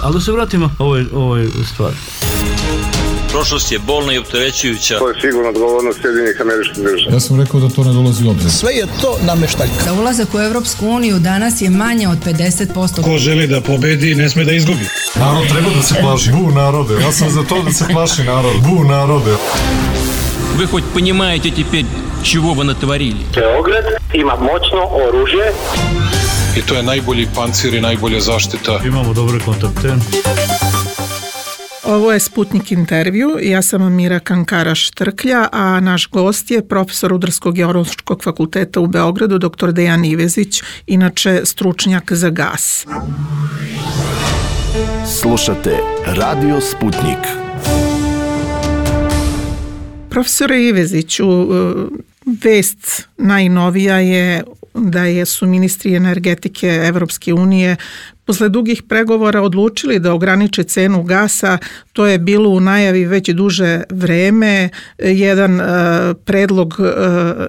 Ali da se vratimo ovoj stvari. Prošlost je bolna i opterećujuća. To je sigurno odgovornost Sjedinjenih Američkih Država. Ja sam rekao da to ne dolazi u obzir. Sve je to nameštaljka. Za ulazak u Evropsku uniju danas je manje od 50%. Ko želi da pobedi, ne sme da izgubi. Narod treba da se plaši. Bu narode. Ja sam za to da se plaši narod. Bu narode. Вы хоть понимаете теперь, чего вы натворили? Beograd ima moćno oružje. I to je najbolji pancir i najbolja zaštita. Imamo dobre kontakte. Ovo je Sputnik intervju, ja sam Mira Kankara-Štrklja, a naš gost je profesor Rudarsko-geološkog fakulteta u Beogradu, dr. Dejan Ivezić, inače stručnjak za gas. Slušate Radio Sputnik. Profesore Iveziću, vest najnovija je da su ministri energetike Evropske unije posle dugih pregovora odlučili da ograniče cenu gasa. To je bilo u najavi već duže vreme. Jedan predlog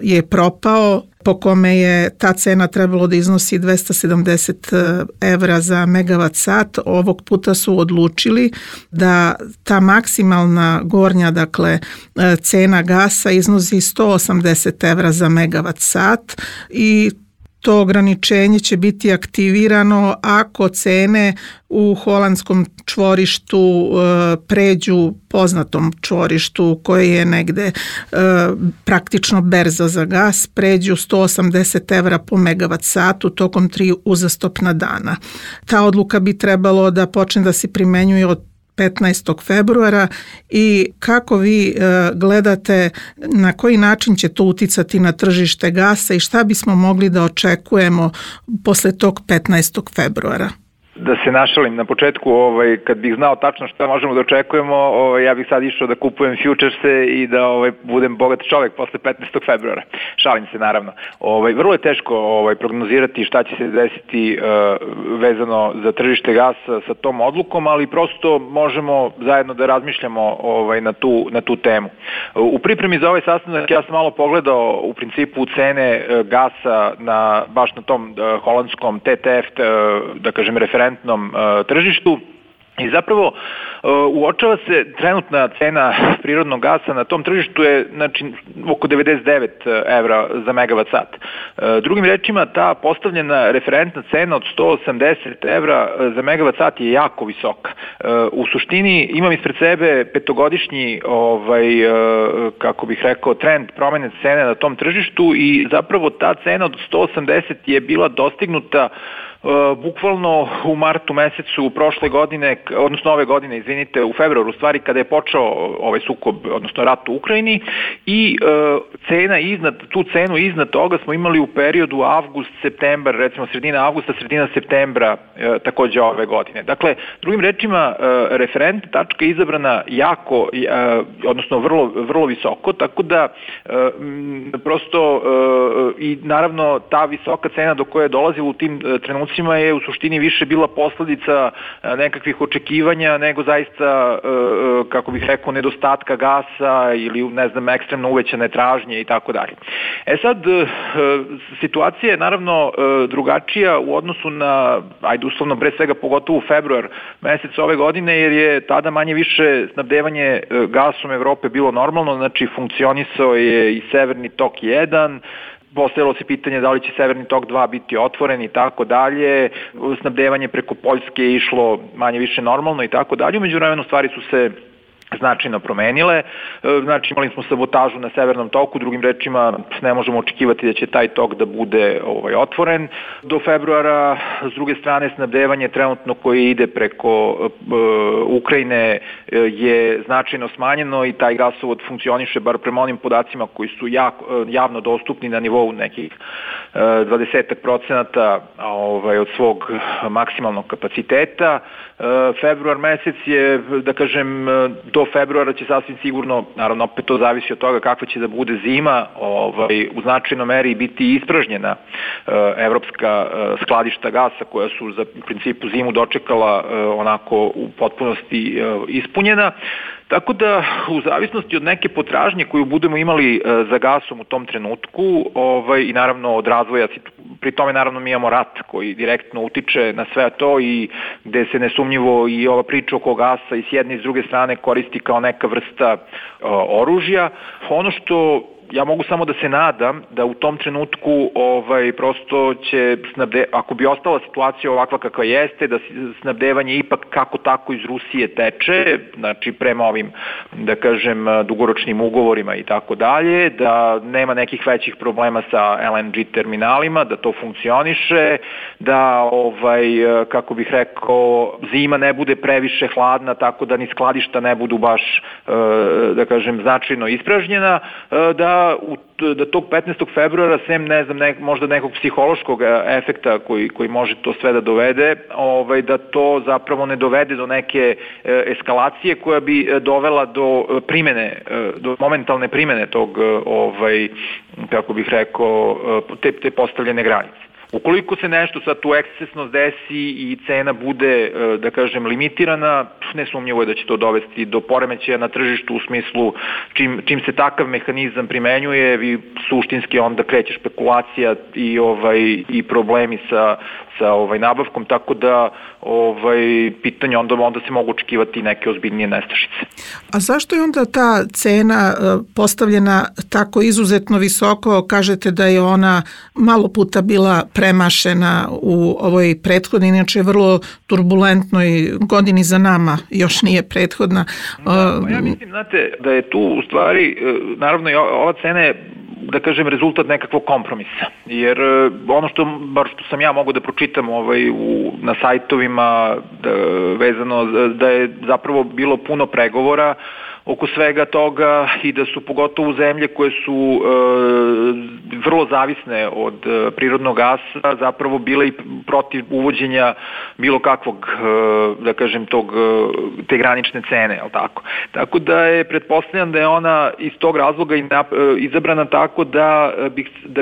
je propao po kome je ta cena trebalo da iznosi 270 evra za megavat sat. Ovog puta su odlučili da ta maksimalna gornja, dakle, cena gasa iznosi 180 evra za megavat sat i to ograničenje će biti aktivirano ako cene u holandskom čvorištu pređu poznatom čvorištu koje je negde praktično berza za gas, pređu 180 evra po megavat satu tokom 3 uzastopna dana. Ta odluka bi trebalo da počne da se primenjuje od 15. februara i kako vi gledate na koji način će to uticati na tržište gasa i šta bismo mogli da očekujemo posle tog 15. februara? Da se našalim na početku, kad bih znao tačno šta možemo da očekujemo, ja bih sad išao da kupujem futurese i da budem bogat čovjek posle 15. februara. Šalim se naravno. Vrlo je teško prognozirati šta će se desiti vezano za tržište gasa sa tom odlukom, ali prosto možemo zajedno da razmišljamo na tu temu. U pripremi za ovaj sastanak ja sam malo pogledao u principu cene gasa baš na tom holandskom TTF, da kažem referentnom tržištu i zapravo uočava se trenutna cena prirodnog gasa na tom tržištu je oko 99 evra za megavat sat. Drugim rečima, ta postavljena referentna cena od 180 evra za megavat sat je jako visoka. U suštini imam ispred sebe petogodišnji kako bih rekao trend promene cene na tom tržištu i zapravo ta cena od 180 je bila dostignuta bukvalno u martu mesecu prošle godine, odnosno ove godine, u februaru, stvari kada je počeo ovaj sukob, odnosno rat u Ukrajini i tu cenu iznad toga smo imali u periodu avgust-septembar, recimo sredina avgusta, sredina septembra takođe ove godine. Dakle, drugim rečima, referentna tačka je izabrana jako, odnosno vrlo visoko, tako da prosto i naravno ta visoka cena do koje je dolazila u tim trenucima je u suštini više bila posledica nekakvih očekivanja nego zaista, kako bih rekao, nedostatka gasa ili, ne znam, ekstremno uvećane tražnje i tako dalje. Sad, situacija je naravno drugačija u odnosu na, uslovno, pre svega pogotovo februar mesec ove godine, jer je tada manje više snabdevanje gasom Evrope bilo normalno, znači funkcionisao je i Severni tok 1, postavilo se pitanje da li će Severni tok 2 biti otvoren i tako dalje, snabdevanje preko Poljske je išlo manje više normalno i tako dalje, umeđu vremenu stvari su se značajno promenile, znači imali smo sabotažu na Severnom toku, drugim rečima ne možemo očekivati da će taj tok da bude otvoren. Do februara, s druge strane, snabdevanje trenutno koje ide preko Ukrajine je značajno smanjeno i taj gasovod funkcioniše, bar prema onim podacima koji su javno dostupni na nivou nekih 20% od svog maksimalnog kapaciteta. Februar mesec je, da kažem, do februara će sasvim sigurno, naravno opet to zavisi od toga kakva će da bude zima, u značajnoj meri biti ispražnjena evropska skladišta gasa koja su za u principu zimu dočekala onako u potpunosti ispunjena. Tako da u zavisnosti od neke potražnje koju budemo imali za gasom u tom trenutku i naravno od razvoja, pri tome naravno mi imamo rat koji direktno utiče na sve to i gde se nesumnjivo i ova priča oko gasa i s jedne i s druge strane koristi kao neka vrsta oružja. Ono što ja mogu samo da se nadam da u tom trenutku prosto će ako bi ostala situacija ovakva kakva jeste, da snabdevanje ipak kako tako iz Rusije teče, znači prema ovim, da kažem, dugoročnim ugovorima i tako dalje, da nema nekih većih problema sa LNG terminalima, da to funkcioniše, da kako bih rekao, zima ne bude previše hladna, tako da ni skladišta ne budu baš, da kažem, značajno ispražnjena, da tog 15. februara, sem ne znam, možda nekog psihološkog efekta koji može to sve da dovede, da to zapravo ne dovede do neke eskalacije koja bi dovela do primene, do momentalne primene tog, kako bih rekao, te postavljene granice. Ukoliko se nešto sad tu ekscesno desi i cena bude, da kažem, limitirana, nesumnjivo je da će to dovesti do poremećaja na tržištu u smislu čim se takav mehanizam primenjuje, vi suštinski onda kreće špekulacija i problemi sa nabavkom, tako da pitanje onda se mogu očekivati neke ozbiljnije nestašice. A zašto je onda ta cena postavljena tako izuzetno visoko? Kažete da je ona malo puta bila premašena u ovoj prethodnoj, inače vrlo turbulentnoj godini za nama, još nije prethodna. Ja mislim, znate, da je tu u stvari, naravno ova cena je, da kažem, rezultat nekakvog kompromisa. Jer ono bar što sam ja mogu da pročitam na sajtovima vezano da je zapravo bilo puno pregovora oko svega toga i da su pogotovo zemlje koje su vrlo zavisne od prirodnog gasa zapravo bile i protiv uvođenja bilo kakvog, da kažem, te granične cene, je li tako? Tako da je pretpostavljam da je ona iz tog razloga izabrana tako da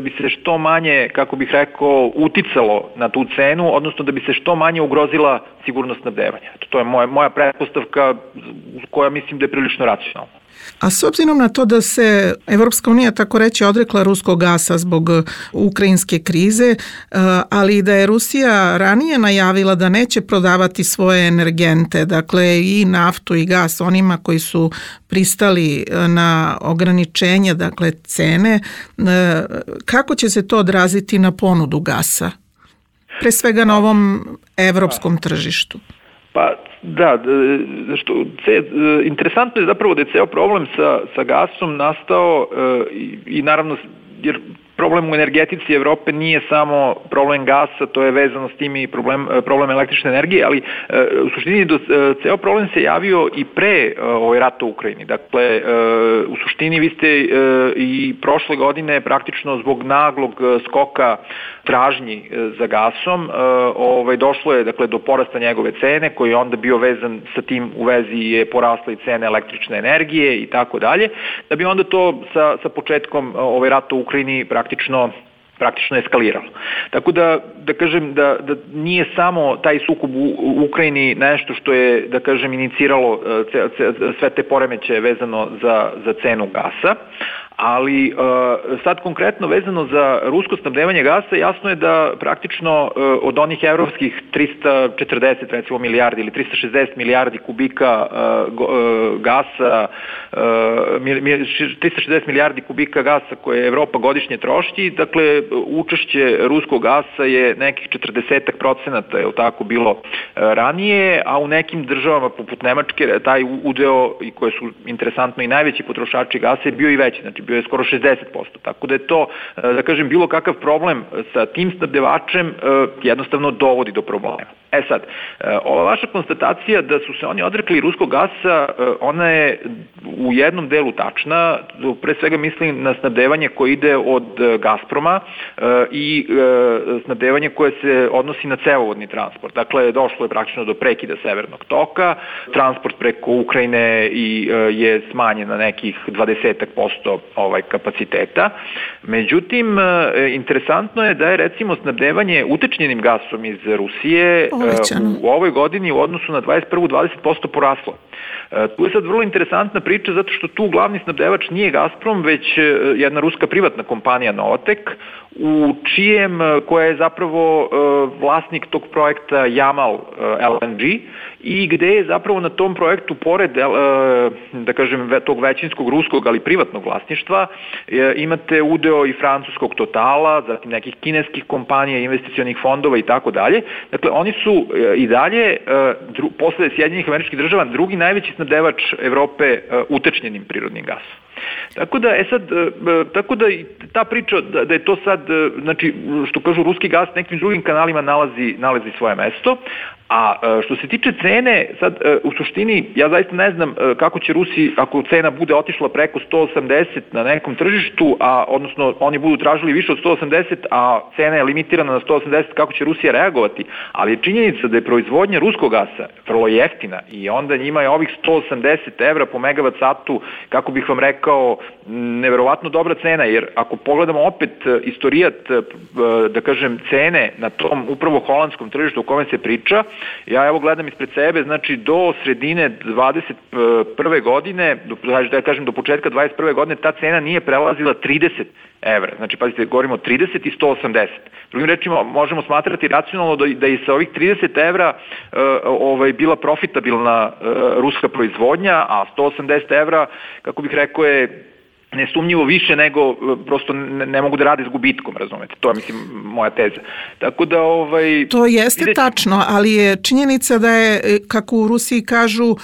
bi se što manje, kako bih rekao, uticalo na tu cenu, odnosno da bi se što manje ugrozila sigurnost snabdevanja. To je moja pretpostavka koja mislim da je prilično racionalna. A s obzirom na to da se Evropska unija, tako reći, odrekla ruskog gasa zbog ukrajinske krize, ali da je Rusija ranije najavila da neće prodavati svoje energente, dakle i naftu i gas onima koji su pristali na ograničenje, dakle cene, kako će se to odraziti na ponudu gasa? Pre svega na ovom evropskom tržištu. Pa da, interesantno je zapravo da je ceo problem sa gasom nastao i naravno, jer problem u energetici Evrope nije samo problem gasa, to je vezano s tim i problem električne energije, ali u suštini ceo problem se javio i pre rata u Ukrajini. Dakle, u suštini vi ste i prošle godine praktično zbog naglog skoka tražnji za gasom došlo je, dakle, do porasta njegove cene koji je onda bio vezan sa tim, u vezi je porasla i cena električne energije i tako dalje, da bi onda to sa početkom rata u Ukrajini praktično eskaliralo. Tako da kažem da nije samo taj sukob u Ukrajini nešto što je, da kažem, iniciralo sve te poremećaje vezano za cenu gasa, ali sad konkretno vezano za rusko snabdevanje gasa, jasno je da praktično od onih evropskih 340 recimo milijardi ili 360 milijardi kubika gasa, 360 milijardi kubika gasa koje Evropa godišnje troši, dakle učešće ruskog gasa je nekih 40%, je li tako bilo ranije, a u nekim državama poput Nemačke taj udeo, i koje su interesantno i najveći potrošači gasa, je bio i veći, znači bio je skoro 60%. Tako da je to, da kažem, bilo kakav problem sa tim snabdevačem jednostavno dovodi do problema. Sad, ova vaša konstatacija da su se oni odrekli ruskog gasa, ona je u jednom delu tačna, pre svega mislim na snabdevanje koje ide od Gazproma i snabdevanje koje se odnosi na cevovodni transport. Dakle, došlo je praktično do prekida Severnog toka, transport preko Ukrajine je smanjen na nekih 20% kapaciteta. Međutim, interesantno je da je recimo snabdevanje utečnjenim gasom iz Rusije u ovoj godini u odnosu na 21. 20% poraslo. Tu je sad vrlo interesantna priča zato što tu glavni snabdevač nije Gazprom, već jedna ruska privatna kompanija Novatek, koja je zapravo vlasnik tog projekta Yamal LNG i gde je zapravo na tom projektu, pored da kažem tog većinskog ruskog, ali privatnog vlasništva, imate udeo i francuskog Totala, zatim nekih kineskih kompanija, investicionih fondova i tako dalje. Dakle, oni su i dalje, posle Sjedinjenih Američkih Država, drugi najveći snabdevač Evrope utečnjenim prirodnim gasom. Tako da ta priča da je to sad, znači, što kažu, ruski gas nekim drugim kanalima nalazi svoje mesto, a što se tiče cene, sad u suštini ja zaista ne znam kako će Rusi, ako cena bude otišla preko 180 na nekom tržištu, odnosno oni budu tražili više od 180, a cena je limitirana na 180, kako će Rusija reagovati, ali je činjenica da je proizvodnja ruskog gasa vrlo jeftina i onda njima je ovih 180 evra po megavat satu, kako bih vam rekao, neverovatno dobra cena, jer ako pogledamo opet istorijat, da kažem, cene na tom upravo holandskom tržištu o kome se priča, ja evo gledam ispred sebe, znači do sredine 21. godine, da kažem do početka 21. godine, ta cena nije prelazila 30 evra. Znači, pazite, govorimo o 30 i 180. Drugim rečima, možemo smatrati racionalno da i sa ovih 30 evra bila profitabilna ruska proizvodnja, a 180 evra, kako bih rekao, je nesumnjivo više nego prosto ne mogu da rade s gubitkom, razumete? To je, mislim, moja teza. Tako da, to jeste tačno, ali je činjenica da je, kako u Rusiji kažu,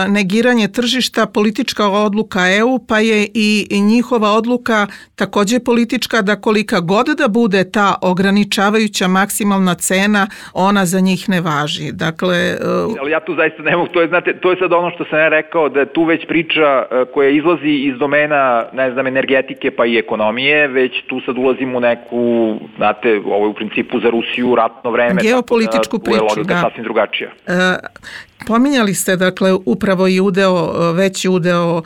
negiranje tržišta politička odluka EU, pa je i njihova odluka takođe politička, da kolika god da bude ta ograničavajuća maksimalna cena, ona za njih ne važi. Dakle, ali ja tu zaista ne mogu, to je sad ono što sam ja rekao, da tu već priča koja izlazi iz domena, ne znam, energetike pa i ekonomije, već tu sad ulazimo u neku, znate, ovo je u principu za Rusiju ratno vreme. Geopolitičku priču, da. Tu je logika sasvim drugačija. Pominjali ste, dakle, upravo i veći udeo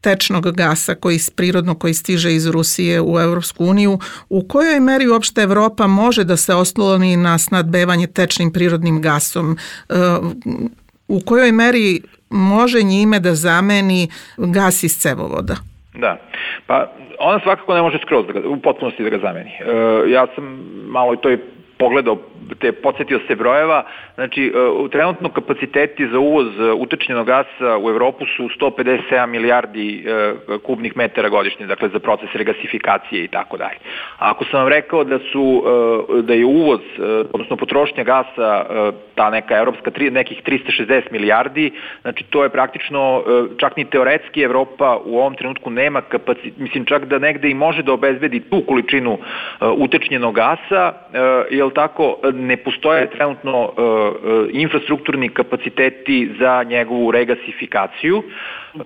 tečnog gasa koji stiže iz Rusije u Evropsku uniju. U kojoj meri uopšte Evropa može da se osloni na snabdevanje tečnim prirodnim gasom? U kojoj meri može njime da zameni gas iz cevovoda? Da, pa ona svakako ne može skroz u potpunosti da ga zameni. Ja sam malo to je pogledao, podsjetio se brojeva, znači trenutno kapaciteti za uvoz utečnjenog gasa u Evropu su 157 milijardi kubnih metara godišnje, dakle za proces regasifikacije i tako dalje. A ako sam vam rekao da je uvoz, odnosno potrošnja gasa, ta neka evropska, nekih 360 milijardi, znači to je praktično, čak ni teoretski Evropa u ovom trenutku nema kapacitet, mislim čak da negde i može da obezbedi tu količinu utečnjenog gasa, jer tako ne postoje trenutno infrastrukturni kapaciteti za njegovu regasifikaciju.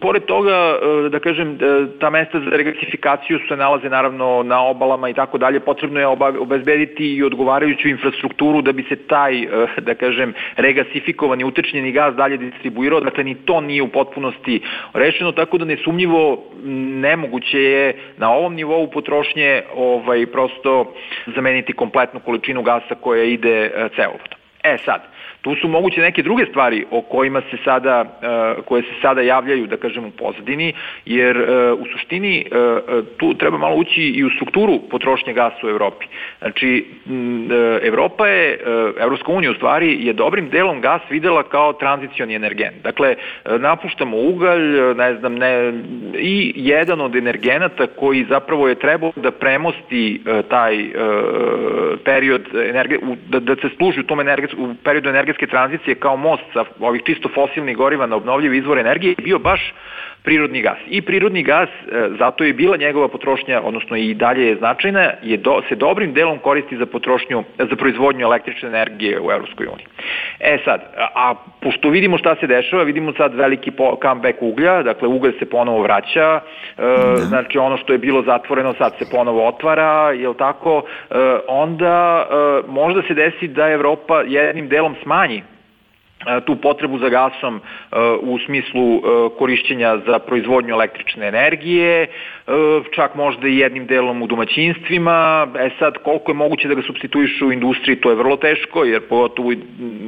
Pored toga, da kažem, ta mesta za regasifikaciju se nalaze naravno na obalama i tako dalje, potrebno je obezbediti i odgovarajuću infrastrukturu da bi se taj, da kažem, regasifikovani utečnjeni gas dalje distribuirao, dakle ni to nije u potpunosti rešeno, tako da nesumnjivo nemoguće je na ovom nivou potrošnje prosto zameniti kompletnu količinu gasa koja ide cevovodom. Sad, tu su moguće neke druge stvari o kojima koje se sada javljaju, da kažem, u pozadini, jer u suštini tu treba malo ući i u strukturu potrošnje gasa u Evropi. Znači, Evropska unija u stvari je dobrim delom gas videla kao tranzicioni energent. Dakle, napuštamo ugalj, i jedan od energenata koji zapravo je trebao da premosti taj period, da se služi u periodu energetske tranzicije kao most sa ovih čisto fosilnih goriva na obnovljive izvore energije, je bio baš prirodni gas. I prirodni gas, zato je bila njegova potrošnja, odnosno i dalje je značajna, se dobrim delom koristi za proizvodnju električne energije u Evropskoj uniji. Sad, a pošto vidimo šta se dešava, vidimo sad veliki comeback uglja, dakle ugalj se ponovo vraća, znači ono što je bilo zatvoreno sad se ponovo otvara, jel tako, onda možda se desi da Evropa jednim delom smanji tu potrebu za gasom u smislu korišćenja za proizvodnju električne energije, čak možda i jednim delom u domaćinstvima. Sad, koliko je moguće da ga supstituišu u industriji, to je vrlo teško, jer pogotovo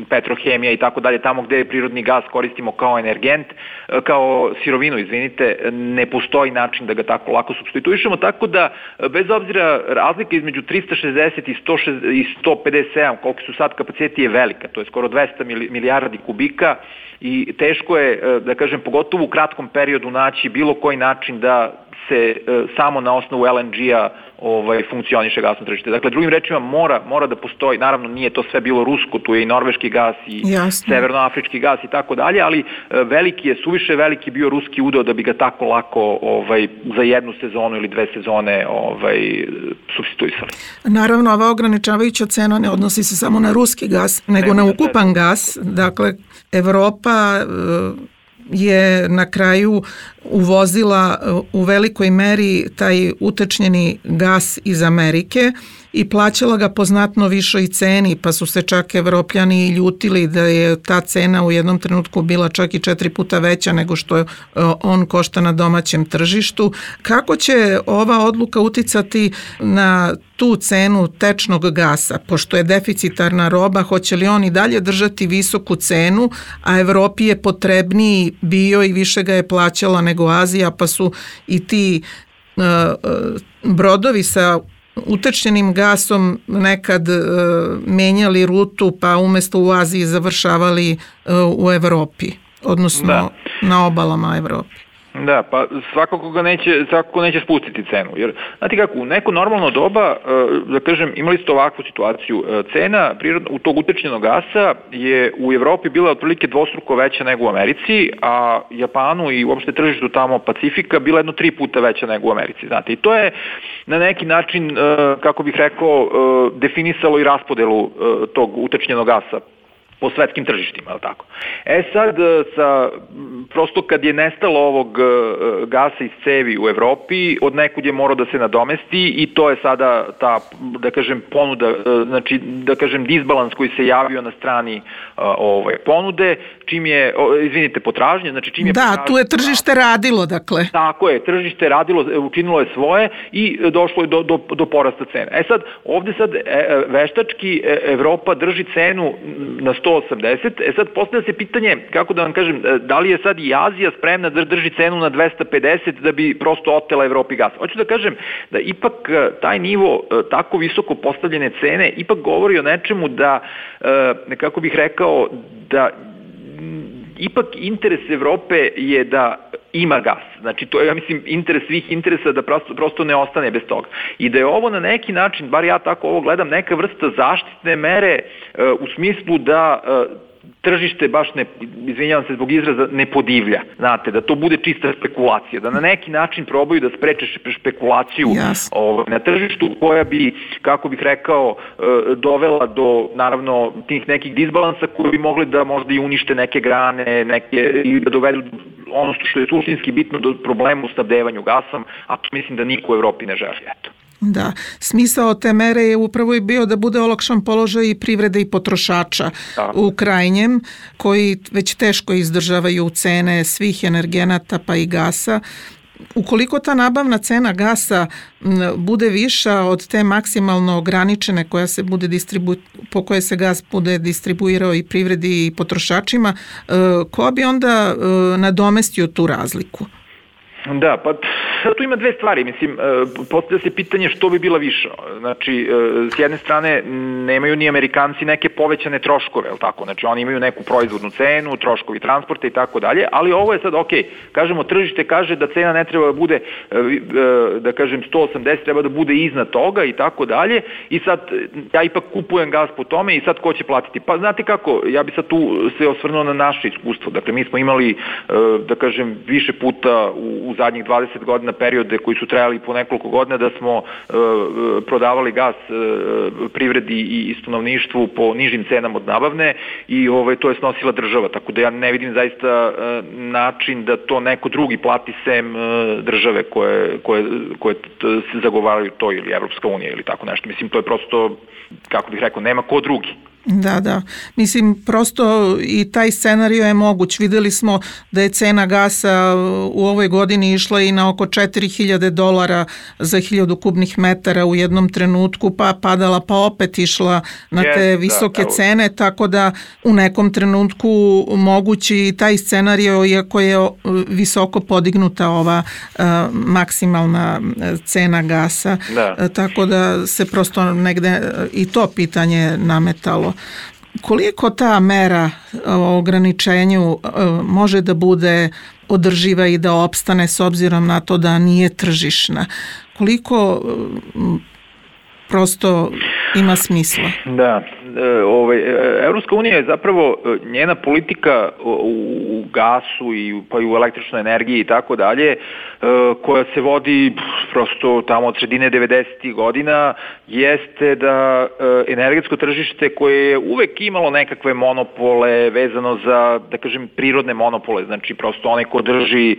petrohemija i tako dalje, tamo gde prirodni gas koristimo kao energent, kao sirovinu, ne postoji način da ga tako lako supstituišemo, tako da, bez obzira, razlika između 360 i 157, koliko su sad kapaciteti, je velika, to je skoro 200 milijardi kubika i teško je, da kažem, pogotovo u kratkom periodu naći bilo koji način da se samo na osnovu LNG-a funkcioniše gasno tržište. Dakle, drugim rečima, mora da postoji, naravno nije to sve bilo rusko, tu je i norveški gas i severnoafrički gas i tako dalje, ali suviše veliki bio ruski udeo da bi ga tako lako za jednu sezonu ili dve sezone supstituisali. Naravno, ova ograničavajuća cena ne odnosi se samo na ruski gas, nego na ukupan gas. Dakle, Evropa je na kraju uvozila u velikoj meri taj utečnjeni gas iz Amerike i plaćala ga po znatno višoj ceni, pa su se čak Evropljani ljutili da je ta cena u jednom trenutku bila čak i 4 puta veća nego što on košta na domaćem tržištu. Kako će ova odluka uticati na tu cenu tečnog gasa? Pošto je deficitarna roba, hoće li on i dalje držati visoku cenu, a Evropi je potrebniji bio i više ga je plaćala nego Azija, pa su i ti brodovi sa utečnjenim gasom nekad menjali rutu, pa umesto u Aziji završavali u Evropi, odnosno na obalama Evrope. Da, pa svakako neće spustiti cenu, jer znate kako, u neko normalno doba, da kažem, imali ste ovakvu situaciju, cena u tog utečnjenog gasa je u Evropi bila otprilike dvostruko veća nego u Americi, a Japanu i uopšte tržištu tamo Pacifika bila 3 puta veća nego u Americi, znate, i to je na neki način, kako bih rekao, definisalo i raspodelu tog utečnjenog gasa po svetskim tržištima, je li tako? Sad, prosto kad je nestalo ovog gasa iz cevi u Evropi, od nekud je morao da se nadomesti i to je sada ta, da kažem, ponuda, znači, da kažem, disbalans koji se javio na strani ponude, čim je, izvinite, potražnje, znači čim je... Da, tu je tržište radilo, dakle. Tako je, tržište radilo, učinilo je svoje i došlo je do porasta cene. Sad, ovde sad veštački Evropa drži cenu na 180, sad postavlja se pitanje, kako da vam kažem, da li je sad i Azija spremna da drži cenu na 250 da bi prosto otela Evropi gas. Hoću da kažem da ipak taj nivo tako visoko postavljene cene ipak govori o nečemu da, kako bih rekao, da ipak interes Evrope je da ima gas. Znači, to je, ja mislim, interes svih interesa da prosto ne ostane bez toga. I da je ovo na neki način, bar ja tako ovo gledam, neka vrsta zaštitne mere u smislu da tržište baš ne, izvinjavam se zbog izraza, ne podivlja. Znate, da to bude čista spekulacija, da na neki način probaju da spreče špekulaciju na tržištu koja bi, kako bih rekao, dovela do, naravno, tih nekih disbalansa koji bi mogli da možda i unište neke grane, i da dovedu ono što je suštinski bitno do problema u snabdevanju gasom, a to mislim da niko u Evropi ne želi. Eto. Da, smisao te mere je upravo i bio da bude olakšan položaj i privrede i potrošača u krajnjem, koji već teško izdržavaju cene svih energenata pa i gasa. Ukoliko ta nabavna cena gasa bude viša od te maksimalno ograničene koja se bude po koje se gas bude distribuirao i privredi i potrošačima, ko bi onda nadomestio tu razliku? Da, pa tu ima dve stvari, mislim, postavlja se pitanje što bi bila viša. Znači, s jedne strane, nemaju ni Amerikanci neke povećane troškove, jel tako? Znači, oni imaju neku proizvodnu cenu, troškovi transporta i tako dalje, ali ovo je sad, kažemo, tržište kaže da cena ne treba da bude, da kažem, 180, treba da bude iznad toga i tako dalje, i sad ja ipak kupujem gas po tome i sad ko će platiti? Pa znate kako, ja bi sad tu se osvrnuo na naše iskustvo, dakle, mi smo imali, da kažem, više puta u zadnjih 20 godina periode koji su trajali po nekoliko godina da smo prodavali gas privredi i stanovništvu po nižim cenama od nabavne i to je snosila država, tako da ja ne vidim zaista način da to neko drugi plati sem države koje se zagovaraju to ili Evropska unija ili tako nešto. Mislim, to je prosto, kako bih rekao, nema ko drugi. Da. Mislim, prosto i taj scenario je moguć. Videli smo da je cena gasa u ovoj godini išla i na oko $4.000 za 1000 kubnih metara u jednom trenutku, pa padala, pa opet išla na te visoke cene, tako da u nekom trenutku mogući i taj scenario, iako je visoko podignuta ova maksimalna cena gasa. Tako da se prosto negde i to pitanje nametalo. Koliko ta mera o ograničenju može da bude održiva i da opstane s obzirom na to da nije tržišna? Koliko prosto ima smisla? Da, Evropska unija je zapravo, njena politika u gasu pa i u električnoj energiji i tako dalje, koja se vodi prosto tamo od sredine 90. godina, jeste da energetsko tržište koje je uvek imalo nekakve monopole vezano za, da kažem, prirodne monopole, znači prosto onaj ko drži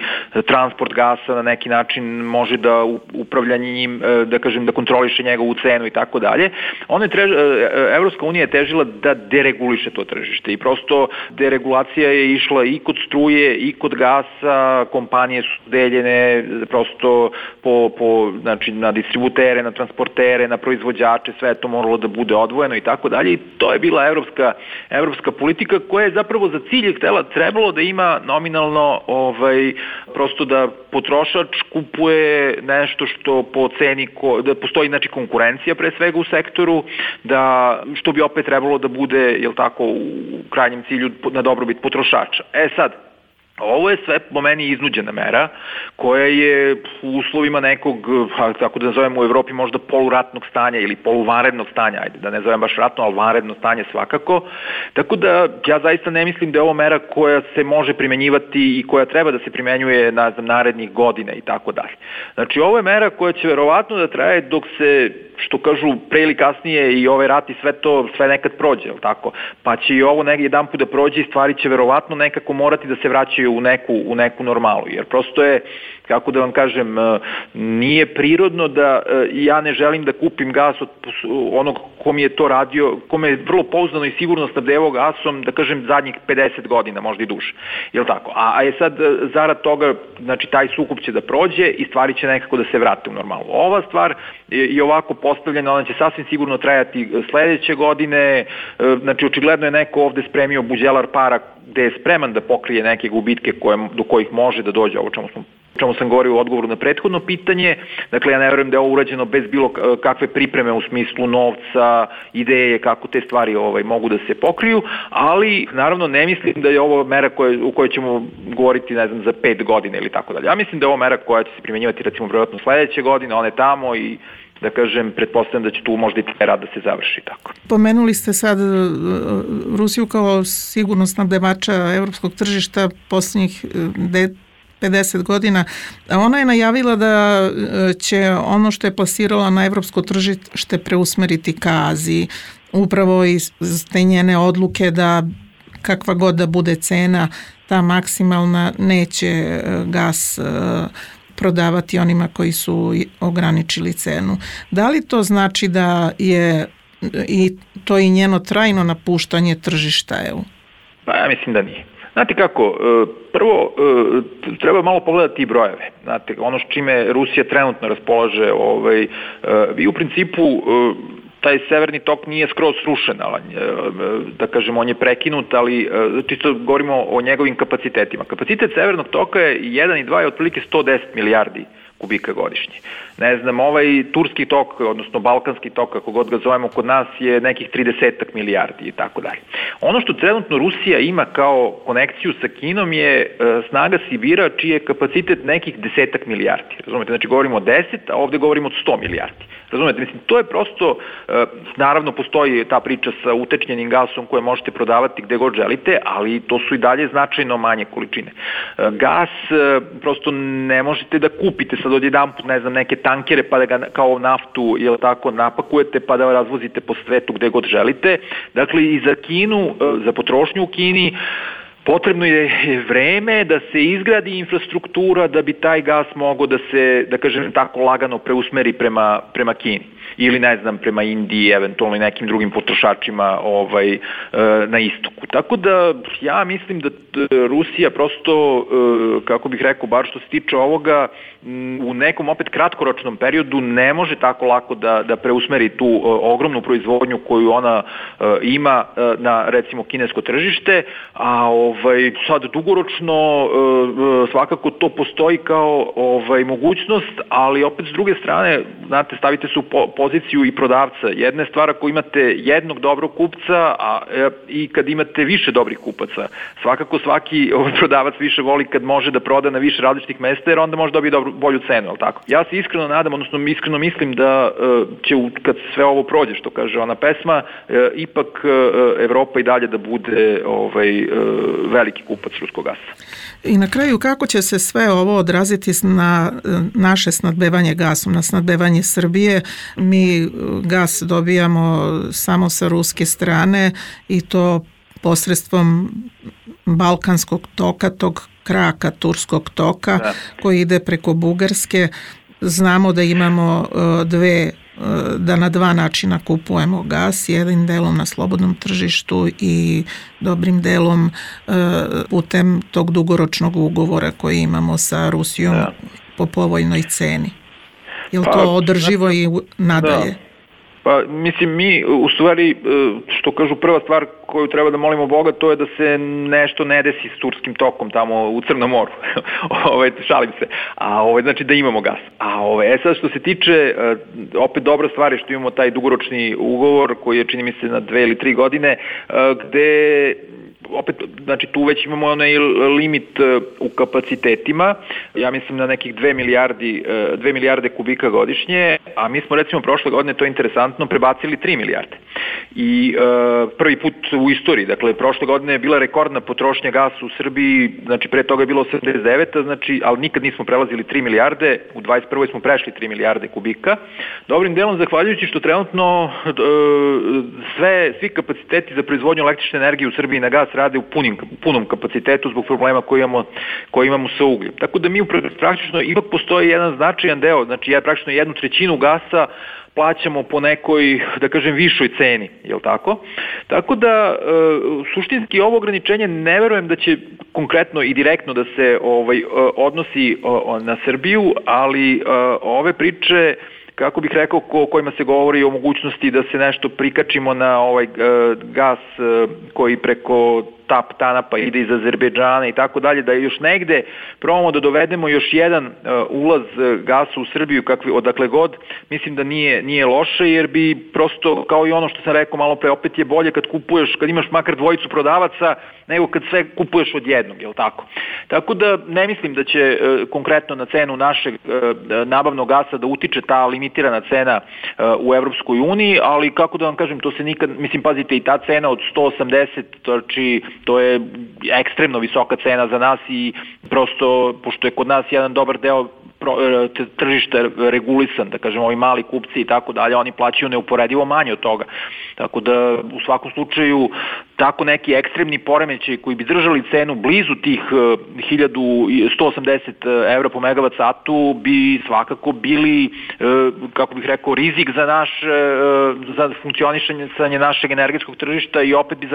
transport gasa na neki način može da upravlja njim, da kažem, da kontroliše njegovu cenu i tako dalje. Evropska unija je težila da dereguliše to tržište i prosto deregulacija je išla i kod struje i kod gasa, kompanije su deljene prosto znači na distributere, na transportere, na proizvođače, sve to moralo da bude odvojeno i tako dalje i to je bila evropska politika koja je zapravo za cilj trebalo da ima nominalno prosto da potrošač kupuje nešto što po ceni, da postoji znači konkurencija pre svega u sektoru, da što bi opet trebalo da bude, jel tako, u krajnjem cilju na dobrobit potrošača. Sad, ovo je sve po meni iznuđena mera koja je u uslovima nekog, tako da nazovemo u Evropi možda poluratnog stanja ili poluvanrednog stanja, ajde da ne zovem baš ratno, ali vanredno stanje svakako. Tako da ja zaista ne mislim da je ovo mera koja se može primenjivati i koja treba da se primenjuje narednih godina i tako dalje. Znači ovo je mera koja će verovatno da traje dok se, što kažu, pre ili kasnije i ovaj rat i sve nekad prođe, jel tako? Pa će i ovo negdje jedan put da prođe i stvari će verovatno nekako morati da se vraćaju u neku normalu, jer prosto je, kako da vam kažem, nije prirodno da ja ne želim da kupim gas od onog ko mi je to radio, ko me je vrlo pouzdano i sigurno snabdevao gasom, da kažem, zadnjih 50 godina, možda i duže. Jel tako? A je sad zarad toga, znači taj sukob će da prođe i stvari će nekako da se vrate u normalu. Ova stvar je ovako postavljena, ona će sasvim sigurno trajati sledeće godine, znači očigledno je neko ovde spremio buđelar para gde je spreman da pokrije neke gubitke do kojih može da dođe, ovo čemu sam govorio u odgovoru na prethodno pitanje. Dakle, ja ne verujem da je ovo urađeno bez bilo kakve pripreme u smislu novca, ideje kako te stvari mogu da se pokriju, ali naravno ne mislim da je ovo mera u kojoj ćemo govoriti, ne znam, za 5 godina ili tako dalje. Ja mislim da je ovo mera koja će se primjenjivati recimo vjerojatno sledeće godine, one tamo i da kažem, pretpostavljam da će tu možda i taj rad da se završi tako. Pomenuli ste sad Rusiju kao sigurno snabdevača evropskog tržišta posljednjih 50 godina. Ona je najavila da će ono što je plasirala na evropsko tržište preusmeriti ka Aziji. Upravo iz te njene odluke da kakva god da bude cena, ta maksimalna, neće gas prodavati onima koji su ograničili cenu. Da li to znači da je to i njeno trajno napuštanje tržišta EU? Pa ja mislim da nije. Znate kako, prvo treba malo pogledati i brojeve. Znate, ono s čime Rusija trenutno raspolaže, vi u principu taj severni tok nije skroz srušen, da kažem, on je prekinut, ali čisto govorimo o njegovim kapacitetima. Kapacitet severnog toka je 1 i 2 je otprilike 110 milijardi kubika godišnje. Ne znam, ovaj turski tok, odnosno balkanski tok, kako god ga zovemo kod nas, je nekih 30 milijardi i tako dalje. Ono što trenutno Rusija ima kao konekciju sa Kinom je snaga Sibira, čiji je kapacitet nekih 10 milijardi. Razumete, znači govorimo o 10, a ovde govorimo od 100 milijardi. Razumete, mislim, to je prosto, naravno postoji ta priča sa utečnjenim gasom koje možete prodavati gde god želite, ali to su i dalje značajno manje količine. Gas prosto ne možete da kupite sad odjedanput, ne znam, neke tankere pa da ga kao naftu, jel tako, napakujete pa da razvozite po svetu gde god želite. Dakle, i za Kinu, za potrošnju u Kini, potrebno je vreme da se izgradi infrastruktura da bi taj gas mogao da se, da kažem tako, lagano preusmeri prema Kini ili ne znam prema Indiji, eventualno i nekim drugim potrošačima na istoku. Tako da ja mislim da Rusija prosto, kako bih rekao, bar što se tiče ovoga, u nekom opet kratkoročnom periodu ne može tako lako da preusmeri tu ogromnu proizvodnju koju ona ima na recimo kinesko tržište, a sad dugoročno svakako to postoji kao mogućnost, ali opet s druge strane, znate, stavite se u poziciju i prodavca. Jedna je stvar ako imate jednog dobrog kupca i kad imate više dobrih kupaca. Svakako svaki prodavac više voli kad može da proda na više različitih mesta, jer onda može dobiti bolju cenu, ali tako? Ja se iskreno nadam, odnosno iskreno mislim da će kad sve ovo prođe, što kaže ona pesma, ipak Evropa i dalje da bude veliki kupac ruskog gasa. I na kraju, kako će se sve ovo odraziti na naše snadbevanje gasom, na snadbevanje Srbije? Mi gas dobijamo samo sa ruske strane i to posredstvom Balkanskog toka, tog kraka Turskog toka koji ide preko Bugarske. Znamo da imamo da na dva načina kupujemo gas, jednim delom na slobodnom tržištu i dobrim delom putem tog dugoročnog ugovora koji imamo sa Rusijom po povoljnoj ceni. Je li to održivo i nadalje? Pa mislim, mi u stvari, što kažu, prva stvar koju treba da molimo Boga, to je da se nešto ne desi s Turskim tokom tamo u Crnom moru. Šalim se. Znači da imamo gas. Sad što se tiče, opet dobra stvar je što imamo taj dugoročni ugovor koji je, čini mi se, na 2 ili 3 godine, gde opet, znači tu već imamo onaj limit u kapacitetima, ja mislim na nekih 2 milijarde kubika godišnje, a mi smo recimo prošle godine, to je interesantno, prebacili 3 milijarde. I prvi put u istoriji, dakle prošle godine je bila rekordna potrošnja gasa u Srbiji, znači pre toga je bilo 89, znači, ali nikad nismo prelazili 3 milijarde, u 21. smo prešli 3 milijarde kubika. Dobrim delom zahvaljujući što trenutno svi kapaciteti za proizvodnju električne energije u Srbiji na gas rade u punom kapacitetu zbog problema koji imamo sa ugljem. Tako da mi praktično ipak postoji jedan značajan deo, znači praktično 1/3 gasa plaćamo po nekoj, da kažem, višoj ceni, jel tako? Tako da, suštinski ovo ograničenje ne verujem da će konkretno i direktno da se odnosi na Srbiju, ali ove priče, kako bih rekao, kojima se govori o mogućnosti da se nešto prikačimo na ovaj gas koji preko TANAP-a ide iz Azerbejdžana i tako dalje, da još negde probamo da dovedemo još jedan ulaz gasa u Srbiju, odakle god, mislim da nije loše, jer bi prosto, kao i ono što sam rekao malo pre, opet je bolje kad kupuješ, kad imaš makar dvojicu prodavaca, nego kad sve kupuješ od jednog, jel tako? Tako da ne mislim da će konkretno na cenu našeg nabavnog gasa da utiče ta limitirana cena u Evropskoj uniji, ali kako da vam kažem, to se nikad, mislim, pazite, i ta cena od 180, znači to je ekstremno visoka cena za nas i prosto, pošto je kod nas jedan dobar deo tržište regulisan, da kažem, ovi mali kupci i tako dalje, oni plaćaju neuporedivo manje od toga. Tako da, u svakom slučaju, tako neki ekstremni poremećaj koji bi držali cenu blizu tih 1180 evra po megavat satu bi svakako bili, kako bih rekao, rizik za funkcionisanje našeg energetskog tržišta i opet bi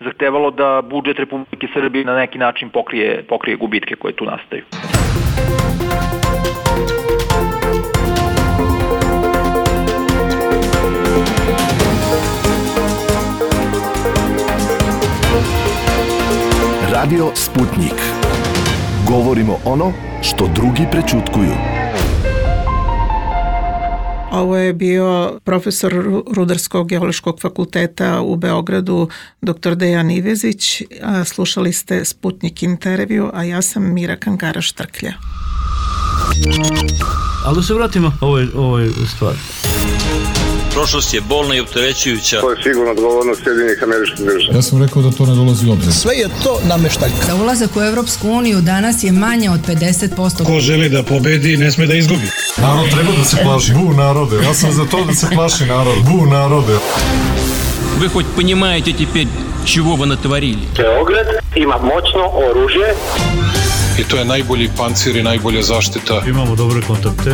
zahtevalo da budžet Republike Srbije na neki način pokrije gubitke koje tu nastaju. Radio Sputnik. Govorimo ono što drugi prećutkuju. Ovo je bio profesor Rudarsko-geološkog fakulteta u Beogradu, dr. Dejan Ivezić. Slušali ste Sputnik intervju, a ja sam Mira Kankara-Štrklja. Ali da se vratimo ovoj stvari. Prošlost je bolna i opterećujuća. To je sigurno odgovornost Sjedinjenih Američkih Država. Ja sam rekao da to ne dolazi u obzir. Sve je to nameštaljka. Za ulazak u Evropsku uniju danas je manje od 50%. Ko želi da pobedi, ne sme da izgubi. Narod treba da se plaši. Bu narode. Ja sam za to da se plaši narod. Bu narode. Вы хоть понимаете теперь, чего вы натворили? Beograd Ima moćno oružje. I to je najbolji pancir i najbolja zaštita. Imamo dobre kontakte.